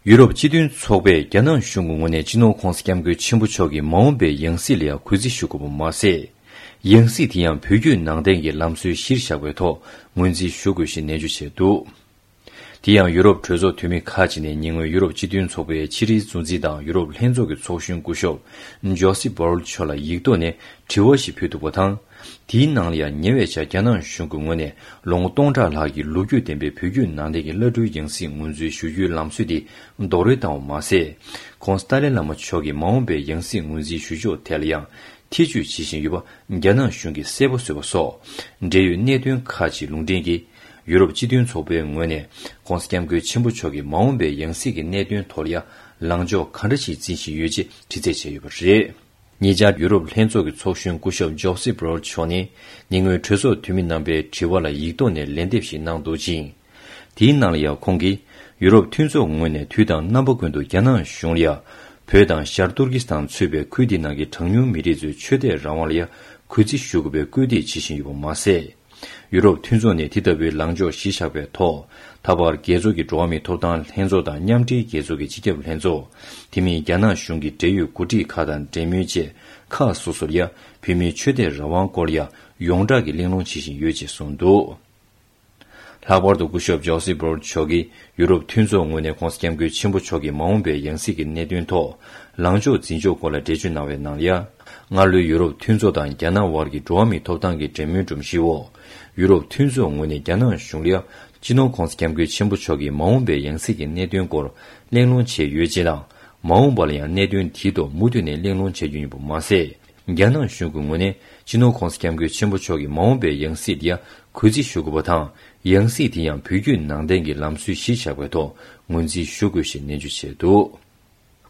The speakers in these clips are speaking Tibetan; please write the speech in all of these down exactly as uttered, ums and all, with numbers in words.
ཡུ་རོབ་སྤྱི་མཐུན་ཚོགས་པས་རྒྱ་ནག་གཞུང་གི་ངོས་ནས་སྤྱི་ནོར་༧གོང་ས་༧སྐྱབས་མགོན་ཆེན་པོ་མཆོག་གི་མ་འོངས་པའི་ཡང་སྲིད་ལ་ཡང་གུས་བརྩི་ཞུ་དགོས་པ་མ་ཟད། ཡང་སྲིད་དེ་ཡང་བོད་བརྒྱུད་ནང་བསྟན་གྱི་ལམ་སྲོལ་གཞིར་བཞག་པའི་ཐོག་ངོས་འཛིན་ཞུ་དགོས་ཞེས་ནན་བརྗོད་བྱས་འདུག་དེ་ཡང་ཡུ་རོབ་གྲོས་ཚོགས་འཐུས་མི་ཁག་ཅིག་ནས་ཉེ་སྔོན་ཡུ་རོབ་སྤྱི་མཐུན་ཚོགས་པའི་ཕྱི་དྲིལ་གཙོ་འཛིན་དང་ཡུ་རོབ་ལྷན་ཚོགས་ཀྱི་ཚོགས་གཞོན་སྐུ་ཞབས་ཇོ་སེབ་བྷོ་རལ་མཆོག་ལ་ཡིག་ཐོག་ནས་དྲི་བ་ཞིག་ཕུལ་འདུག་པ་དང་། དེའི་ནང་ལ་ཡང་ཉེ་བའི་ཆར་རྒྱ་ནག་གཞུང་གི་ངོས་ནས་ལོ་ངོ་སྟོང་ཕྲག་ལྷག་གི་ལོ་རྒྱུས་ལྡན་པའི་བོད་བརྒྱུད་ནང་བསྟན་གྱི་བླ་སྤྲུལ་ཡང་སྲིད་ངོས་འཛིན་ཞུ་རྒྱུའི་ལམ་སྲོལ་དེ་རྡོག་རོལ་བཏང་བ་མ་ཟད། ྋགོང་ས་ཏཱ་ལའི་བླ་མ་མཆོག་གི་མ་འོངས་པའི་ཡང་སྲིད་ངོས་འཛིན་ཞུ་ཕྱོགས་ཐད་ལ་ཡང་ཐེ་བྱུས་བྱེད་བཞིན་ཡོད་པ་རྒྱ་ནག་གཞུང་གིས་གསལ་པོ་བཟོས་པ་སོགས་འབྲེལ་ཡོད་གནད་དོན་ཁག་ཅིག་ལུང་འདྲེན་གྱིས། ཡུ་རོབ་སྤྱི་མཐུན་ཚོགས་པའི་ངོས་ནས་ྋགོང་ས་ྋསྐྱབས་མགོན་ཆེན་པོ་མཆོག་གི་མ་འོངས་པའི་ཡང་སྲིད་ཀྱི་གནད་དོན་ཐོག་ལ་ཡང་ལངས་ཕྱོགས་ག་འདྲ་ཞིག་འཛིན་བཞིན་ཡོད་ཅེས་དྲི་རྩད་བྱས་ཡོད་པ་རེད། ཉེ་ཆར་ཡུ་རོབ་ལྷན་ཚོགས་ཀྱི་ཚོགས་གཞོན་སྐུ་ཞབས་ཇོ་སེབ་བྷོ་རལ་མཆོག་ནས་ཉེ་སྔོན་གྲོས་ཚོགས་འཐུས་མི་རྣམ་པའི་དྲི་བ་ལ་ཡིག་ཐོག་ནས་ལན་འདེབས་ཤིག་གནང་འདུག་ཅིང་། དེའི་ནང་ལ་ཡང་ཁོང་གིས་ཡུ་རོབ་མཐུན་ཚོགས་ངོས་ནས་དུས་དང་རྣམ་པ་ཀུན་ཏུ་རྒྱ་ནག་གཞུང་ལ་ཡང་བོད་དང་ཤར་ཏུར་ཀི་སི་ཐན་ཚུད་པའི་ཁུལ་འདི་ནང་གི་གྲངས་ཉུང་མི་རིགས་ཚོའི་ཆོས་དད་རང་དབང་ལ་ཡང་གུས་བརྩི་ཞུ་དགོས་པའི་སྐུལ་འདེད་བྱེད་བཞིན་ཡོད་པ་མ་ཟད། ཡུ་རོབ་མཐུན་ཚོགས་ནས་དེ་ལྟ་བུའི་ལངས་ཕྱོགས་གཞི་བཞག་པའི་ཐོག་ད་བར་རྒྱལ་ཚོགས་ཀྱི་འགྲོ་བ་མིའི་ཐོབ་ཐང་ལྷན་ཚོགས་དང་མཉམ་འབྲེལ་རྒྱལ་ཚོགས་ཀྱི་སྤྱི་ཁྱབ་ལྷན་ཚོགས། དེ་མིན་རྒྱ་ནག་གཞུང་གི་འབྲེལ་ཡོད་འགོ་ཁྲིད་ཁག་དང་འབྲེལ་མོལ་བཅས་ཁག་སོ་སོར་ཡང་བོད་མིའི་ཆོས་དད་རང་དབང་སྐོར་ཡང་ཡོངས་གྲགས་ཀྱི་གླེང་སློང་བྱེད་བཞིན་ཡོད་ཅེས་གསུངས་འདུག་ལྷག་པར་དུ་སྐུ་ཞབས་ཇོ་སེབ་བྷོ་རལ་མཆོག་གིས་ཡུ་རོབ་མཐུན་ཚོགས་ངོས་ནས་ྋགོང་ས་ྋསྐྱབས་མགོན་ཆེན་པོ་མཆོག་གི་མ་འོངས་པའི་ཡང་སྲིད་ཀྱི་གནད་དོན་ཐོག་ལངས་ཕྱོགས་འཛིན་ཕྱོགས་སྐོར་ལ་འགྲེལ་བརྗོད་གནང་བའི་ནང་ལ་ཡང་། སྔར་ལོའི་ཡུ་རོབ་མཐུན་ཚོགས་དང་རྒྱ་ནག་དབར་གྱི་འགྲོ་བ་མིའི་ཐོབ་ཐང་གི་འབྲེལ་མོལ་སྒྲོམ་གཞིའི་འོག་ཡུ་རོབ་མཐུན་ཚོགས་ངོས་ནས་རྒྱ་ནག་གཞུང་ལ་ཡང་སྤྱི་ནོར་ྋགོང་ས་ྋསྐྱབས་མགོན་ཆེན་པོ་མཆོག་གི་མ་འོངས་པའི་ཡང་སྲིད་ཀྱི་གནད་དོན་སྐོར་གླེང་སློང་བྱས་ཡོད་ཅེས་དང་། མ་འོངས་པ་ལ་ཡང་གནད་དོན་དེའི་ཐོག་མུ་མཐུད་ནས་གླེང་སློང་བྱ་རྒྱུ་ཡིན་པ་མ་ཟད། རྒྱ་ནག་གཞུང་གི་ངོས་ནས་སྤྱི་ནོར་ྋགོང་ས་ྋསྐྱབས་མགོན་ཆེན་པོ་མཆོག་གི་མ་འོངས་པའི་ཡང་སྲིད་དེ་ཡང་གུས་བརྩི་ཞུ་དགོས་པ་དང་། ཡང་སྲིད་དེ་ཡང་བོད་བརྒྱུད་ནང་བསྟན་གྱི་ལམ་སྲོལ་གཞིར་བཞག་པའི་ཐོག་ངོས་འཛིན་ཞུ་དགོས་ཞེས་ནན་བརྗོད་བྱས་འདུག་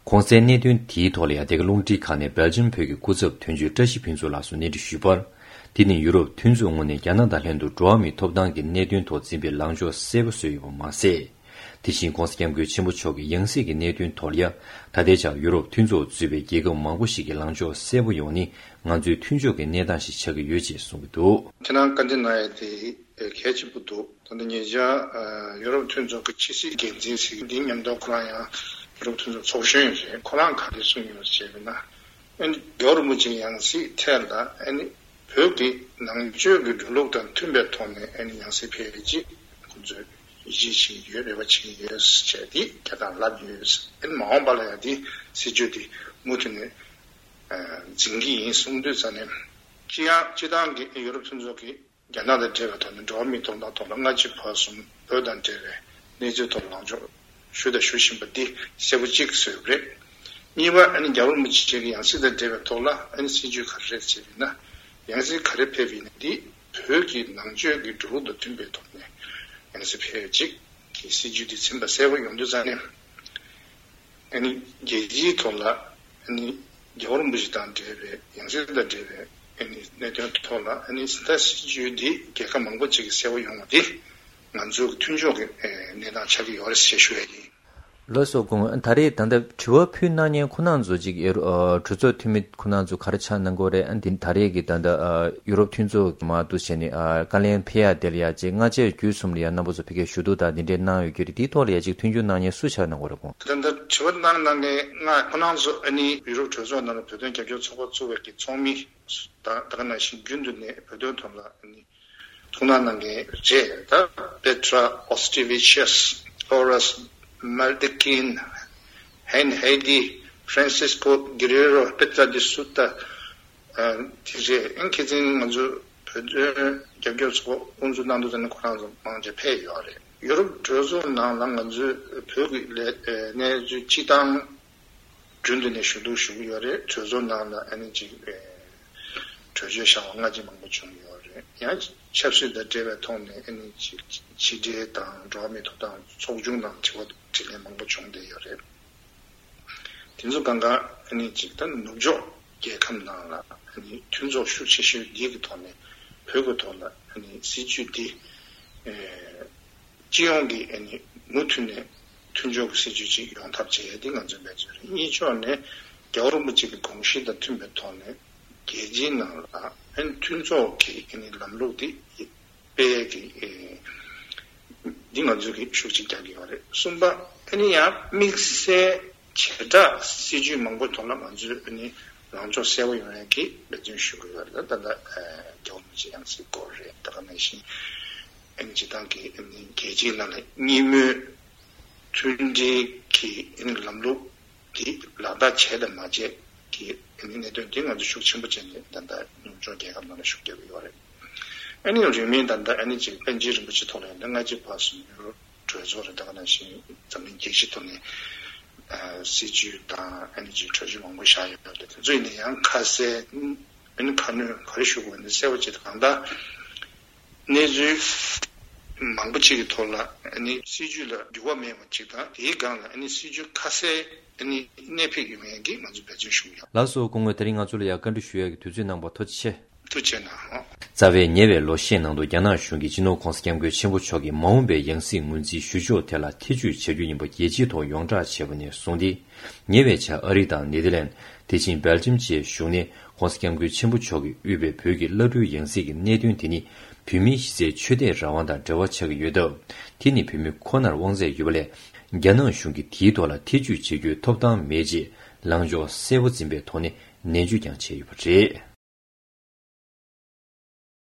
གོང་གསལ་གནད་དོན་དེའི་ཐོག་ལ་ཡང་འདི་ག་རླུང་འཕྲིན་ཁང་ནས་སྦེལ་ཇམ་བོད་ཀྱི་སྐུ་ཚབ་དོན་གཅོད་བཀྲ་ཤིས་ཕུན་ཚོགས་ལགས་སུ་གནས་འདྲི་ཞུས་པར། དེ་ནི་ཡུ་རོབ་མཐུན་ཚོགས་ངོས་ནས་རྒྱ་ནག་དང་ལྷན་དུ་འགྲོ་བ་མིའི་ཐོབ་ཐང་གི་གནད་དོན་ཐོག་འཛིན་པའི་ལངས་ཕྱོགས་གསལ་པོ་བཟོས་ཡོད་པ་མ་ཟད། དེ་བཞིན་ྋགོང་ས་ྋསྐྱབས་མགོན་ཆེན་པོ་མཆོག་གི་ཡང་སྲིད་ཀྱི་གནད་དོན་ཐོག་ལ་ཡང་ད་ལྟའི་ཆར་ཡུ་རོབ་མཐུན་ཚོགས་གཙོས་པའི་རྒྱལ་ཁབ་མང་པོ་ཞིག་གི་ལངས་ཕྱོགས་གསལ་པོ་ཡོང་ནི་ང་ཚོའི་མཐུན་ཕྱོགས་ཀྱི་གནས་སྟངས་ཤིག་ཆགས་ཀྱི་ཡོད་ཅེས་གསུངས་ཀྱི་འདུག་ཁྱེད་རང་བཀའ་འདྲི་གནང་ཡ་དེ་གལ་ཆེན་པོ་འདུག་ད་ལྟ་ཉེ་ཆར་ཡུ་རོབ་མཐུན་ཚོགས་ཀྱི་ཕྱི་སྲིད་འགན་འཛིན་ཟེར་མཁན་འདི་མཉམ་དུ་ཁོ་རང་ཡང་ཡུ་རོབ་མཐུན་ཚོགས་ཚོགས་གཞོན་ཡིན་རེད། ཁོ་རང་ག་རེ་གསུངས་ཡོད་ཟེར་བ་ན། ཨ་ནི་རྒྱལ་བ་རིན་པོ་ཆེའི་ཡང་སྲིད་ཐད་ལ་ཨ་ནི་བོད་ཀྱི་ནང་ཆོས་ཀྱི་འགྲོ་ལུགས་དང་མཐུན་པའི་ཐོག་ནས་ཨ་ནི་ཡང་སྲིད་ཕེབས་ཅིག་ཁོང་ཚོས་ཡིད་ཆེས་བྱེད་ཀྱི་ཡོད། རེ་བ་བྱེད་ཀྱི་ཡོད་ཅེས་འདི་རྒྱ་དང་ལབ་ཡོད། ཨ་ནི་མ་འོངས་པ་ལ་ཡང་འདི་སྲིད་བྱུས་འདི་མུ་མཐུད་ནས་འཛིན་གྱི་ཡིན་གསུངས་དུས་ཙ་ནས། སྤྱི་ཡང་སྤྱི་བཏང་གི་ཡུ་རོབ་མཐུན་ཚོགས་ཀྱི་རྒྱ་ནག་དང་འབྲེལ་བའི་ཐོག་ནས་འགྲོ་བ་མིའི་ཐོབ་ཐང་ཐོག་ལ་སྔ་ཕྱི་བར་གསུམ་བོད་དང་འབྲེལ་བའི་གནས་ཚུལ་ཐོག་ལངས་ཕྱོགས་ཞུས་དང་ཞུ་བཞིན་པ་འདི་གསལ་པོ་གཅིག་བཟོས་ཡོད་རེད། གཉིས་པ་ཨ་ནི་རྒྱལ་བ་རིན་པོ་ཆེ་གི་ཡང་སྲིད་དང་འབྲེལ་བའི་ཐོག་ལ་ཨ་ནི་སྲིད་བྱུས་ག་རེ་རེད་ཅེས་ན། ཡང་སྲིད་ག་རེ་ཕེབས་ཡིན་ན་འདི་བོད་ཀྱི་ནང་ཆོས་ཀྱི་འགྲོ་ལུགས་དང་མཐུན་པའི་ཐོག་ནས་ཡང་སྲིད་ཕེབས་ཅིག་གི་སྲིད་བྱུས་འདི་ཚིམ་པ་གསལ་པོ་ཡོང་དུས་ཙ་ནས། ཨ་ནི་རྒྱལ་སྤྱིའི་ཐོག་ལ་ཨ་ནི་རྒྱལ་བ་རིན་པོ་ཆེ་དང་འབྲེལ་བའི་ཡང་སྲིད་དང་འབྲེལ་བའི་ཨ་ནི་གནད་དོན་ཐོག་ལ་ཨ་ནི་ད་སྲིད་བྱུས་འདི་རྒྱལ་ཁབ་མང་པོ་ཅིག་གིས་གསལ་པོ་ཡོང་བ་འདི་ང་ཚོའི་མཐུན་ཕྱོགས་ཀྱི་ཨ་གནས་སྟངས་ཆགས་ཀྱི་ཡོད་རེད་ཞེས་ཞུ་ཡ་ཡིན། ལགས་སོ། དགོངས། ད་རེས་ད་ལྟ་དྲི་བ་ཕུལ་གནང་མཁན་ཁོ་རང་ཚོ་ཅིག་ཨེ་རུ་ཨ་གྲོས་ཚོགས་འཐུས་མི་ཁོ་རང་ཚོ་ག་རེ་ཆགས་གནང་གི་ཡོད་རེད། ཨ་འདི་ད་རེས་ཀྱི་ད་ལྟ་ཨ་ཡུ་རོབ་མཐུན་ཚོགས་ཀྱི་མར་འདུག་བྱས་ནས་ཨ་བཀའ་ལན་ཕེབས་ཡ་དེ་ལ་ཡ་ཅིག་སྔ་རྗེས་བརྒྱུད་གསུམ་ལ་ཡ་རྣམ་པ་ཚོ་ཕ་གིར་ཞུ་གཏུག་དང་འདི་འདྲའི་གནང་ཡོད་ཀྱི་རེད། དེའི་ཐོག་ལ་ཡ་ཅིག་མཐུན་འགྱུར་གནང་མཁན་སུ་ཆགས་གནང་གི་ཡོད་རེད་དགོངས། ད་ལྟ་དྲི་བ་གནང་གནང་མཁན་ང་ཁོ་རང་ཚོ་ཨ་ནི་ཡུ་རོབ་གྲོས་ཚོགས་ནང་ལ་བོད་དོན་རྒྱབ་སྐྱོར་ཚོགས་པ་བཙུགས་པའི་གི་ཚོགས་མི་ད་ད་ག་ནང་བཞིན་རྒྱུན་དུ་ནས་བོད་དོན་ཐོག་ལ་ཨ་ནི་ཐུགས་སྣང་གནང་མཁན་རེད། ད་Petra Auštrevičius, Floras Maldachin, Hein Heidi, Francisco Guerreiro, Petra de Souza དེ་རེད། ཨིན་ཁེ་ཚིན་ང་ཚོ་བོད་དོན་རྒྱབ་སྐྱོར་ཚོགས་པ་དབུ་འཛུགས་གནང་དུས་ཙམ་ནས་ཁོ་རང་ཚོ་མང་ཆེ་ཕེབས་ཡོད་རེད། ཡུ་རོབ་གྲོས་ཚོགས་ནང་ལ་ང་ཚོའི་བོད་ཀྱི་ལས་གནས་ཚུལ་སྤྱི་བཏང་རྒྱུན་དུ་ནས་ཞུ་གཏུག་ཞུ་གི་ཡོད་རེད། གྲོས་ཚོགས་ནང་ལ་ཨ་ནི་ཅིག་གྲོས་ཆོད་བཞག་པ་སྔ་ཕྱི་མང་པོ་བྱུང་ཡོད་རེད། ཡང་ཆབ་སྲིད་དང་འབྲེལ་བའི་ཐོག་ནས་ཨ་ནི་ཅིག་ཕྱི་འབྲེལ་དང་འགྲོ་བ་མིའི་ཐོབ་ཐང་ཚོགས་ཆུང་དང་དྲི་བ་དྲིས་ལན་མང་པོ་བྱུང་བསྡད་ཡོད་རེད། དེ་ཚོ་གང་ག་ཨ་ནི་ཅིག་ད་ནུབ་ཕྱོགས་རྒྱལ་ཁབ་ནང་ལ་ཨ་ནི་མཐུན་ཚོགས་ཤུགས་ཆེ་ཤོས་འདི་གི་ཐོག་ནས་བོད་ཀྱི་ཐོག་ལ་ཨ་ནི་སྲིད་བྱུས་འདི་ཨེ་སྤྱི་ཡོངས་ཀྱི་ཨ་ནི་མུ་མཐུད་ནས་མཐུན་ཕྱོགས་ཀྱི་སྲིད་བྱུས་ཅིག་ཡོང་ཐབས་བྱེད་ཡ་འདི་ང་ཚོའི་འབད་བརྩོན་རེད། གཉིས་ཕྱོགས་ནས་རྒྱལ་བ་རིན་པོ་ཆེ་གི་དགོངས་གཞི་དང་མཐུན་པའི་ཐོག་ནས་རྒྱལ་སྤྱིའི་ནང་ལ་ཨ་ནི་མཐུན་ཚོགས་ཀྱི་ཨ་ནི་ལམ་ལུགས་འདི་སྤེལ་ཡས་ཀྱི་ཨེ་འདི་ང་ཚོས་ཀྱི་ཤུགས་ཆེ་རྒྱག་གི་ཡོད་རེད། གསུམ་པ་ ཨ་ནི་ཡང་དམིགས་བསལ་བྱེ་བྲག་སྲིད་ཇུས་མང་པོའི་ཐོག་ལ་ང་ཚོས་ཨ་ནི་ལངས་ཕྱོགས་གསལ་པོ་ཡོང་ཡག་གི་འབད་བརྩོན་ཞུ་གི་ཡོད་རེད། ད་ལྟ་རྒྱལ་བ་རིན་པོ་ཆེ་ཡང་སྲིད་སྐོར་རེད། ད་ག་ནང་བཞིན་ཨ་ནི་སྤྱིར་བཏང་གི་ཨ་ནི་རྒྱལ་སྤྱིའི་ནང་ལ་གཉིས་མོས་མཐུན་སྒྲིལ་གྱི་ཨ་ནི་ལམ་ལུགས་དེ་ལག་བསྟར་བྱས་དང་མ་བྱས་ཀྱི་ཨ་ནི་གནད་དོན་དེ་ང་ཚོ་ཤུགས་ཆེན་པོ་བྱས་ནས་ད་ལྟ་ཉམ་ཆུང་རྒྱལ་ཁབ་ནང་ལ་ཤུགས་རྒྱབ་ཀྱི་ཡོད་རེད། ཨ་ནི་རིང་མིན་ད་ལྟ་ཨ་ནི་ཅིག་པཎ་ཆེན་རིན་པོ་ཆེ་ཐོག་ལ་ཡིན་ན་སྔ་ཕྱི་བར་གསུམ་ཡུ་རོབ་གྲོས་ཚོགས་རེད། ད་ག་ནང་བཞིན་འཛམ་གླིང་རྒྱལ་སྤྱིའི་ཐོག་ནས་ཨ་སྲིད་ཇུས་དང་ཨ་ནི་ཅིག་གྲོས་ཆོད་མང་པོ་བཞག་ཡོད་རེད། དེ་ཚོ་ཡིན་ན་ཡང་ཁ་གསལ་ཨ་ནི་ཁ་སྣོན་ག་རེ་ཞུ་དགོས་ནི་གསལ་པོ་ཅིག་དང་གང་ལྟར་གནས་ཚུལ་མང་པོ་ཅིག་གི་ཐོག་ལ་ཨ་ནི་སྲིད་ཇུས་ལ་འགྱུར་བ་མེད་པ་ཅིག་དང་དེའི་སྒང་ལ་ཨ་ནི་སྲིད་ཇུས་ཁ་གསལ་ཨ་ནི་གནད་ཕིགས་ཡོང་ཡག་གི་ང་ཚོ་འབད་བརྩོན་ཞུ་གི་ཡོད། ལགས་སོ། སྐུ་ངོ་དེ་རིང་ང་ཚོ་ལ་ཡང་བཀའ་འདྲི་ཞུ་ཡག་གི་དུས་ཚོད་གནང་བར་ཐུགས་རྗེ་ཆེ། ཐུགས་རྗེ་གནང་། རྩ་བའི་ཉེ་བའི་ལོ་ཤས་ནང་དུ་རྒྱ་ནག་གཞུང་གིས་སྤྱི་ནོར་༧གོང་ས་༧སྐྱབས་མགོན་ཆེན་པོ་མཆོག་གི་མ་འོངས་པའི་ཡང་སྲིད་ངོས་འཛིན་ཞུ་ཕྱོགས་ཐད་ལ་ཐེ་བྱུས་བྱ་རྒྱུ་ཡིན་པ་རྒྱལ་སྤྱིའི་ཐོག་ཡོངས་བསྒྲགས་བྱས་པ་ནས་བཟུང་སྟེ། ཉེ་བའི་ཆར་ཨ་རི་དང་ནེ་ཐར་ལན། དེ་བཞིན་སྦེལ་ཇམ་བཅས་གཞུང་ནས་༧གོང་ས་༧སྐྱབས་མགོན་ཆེན་པོ་མཆོག་གིས་དབུས་པའི་བོད་ཀྱི་བླ་སྤྲུལ་ཡང་སྲིད་ཀྱི་གནད་དོན་དེ་ནི་བོད་མིའི་གཞི་རྩའི་ཆོས་དད་རང་དབང་དང་འབྲེལ་བ་ཆགས་ཀྱི་ཡོད་སྟབས། དེ་ནི་བོད་མི་ཁོ་ནར་དབང་ཚད་ཡོད་པ་ལས། རྒྱ་ནག་གཞུང་གིས་དེའི་ཐོག་ལ་ཐེ་བྱུས་བྱེད་རྒྱུའི་ཐོབ་ཐང་མེད་ཅེས་ལངས་ཕྱོགས་གསལ་པོ་འཛིན་པའི་ཐོག་ནས་ནན་བརྗོད་ཀྱང་བྱས་ཡོད་པ་རེད།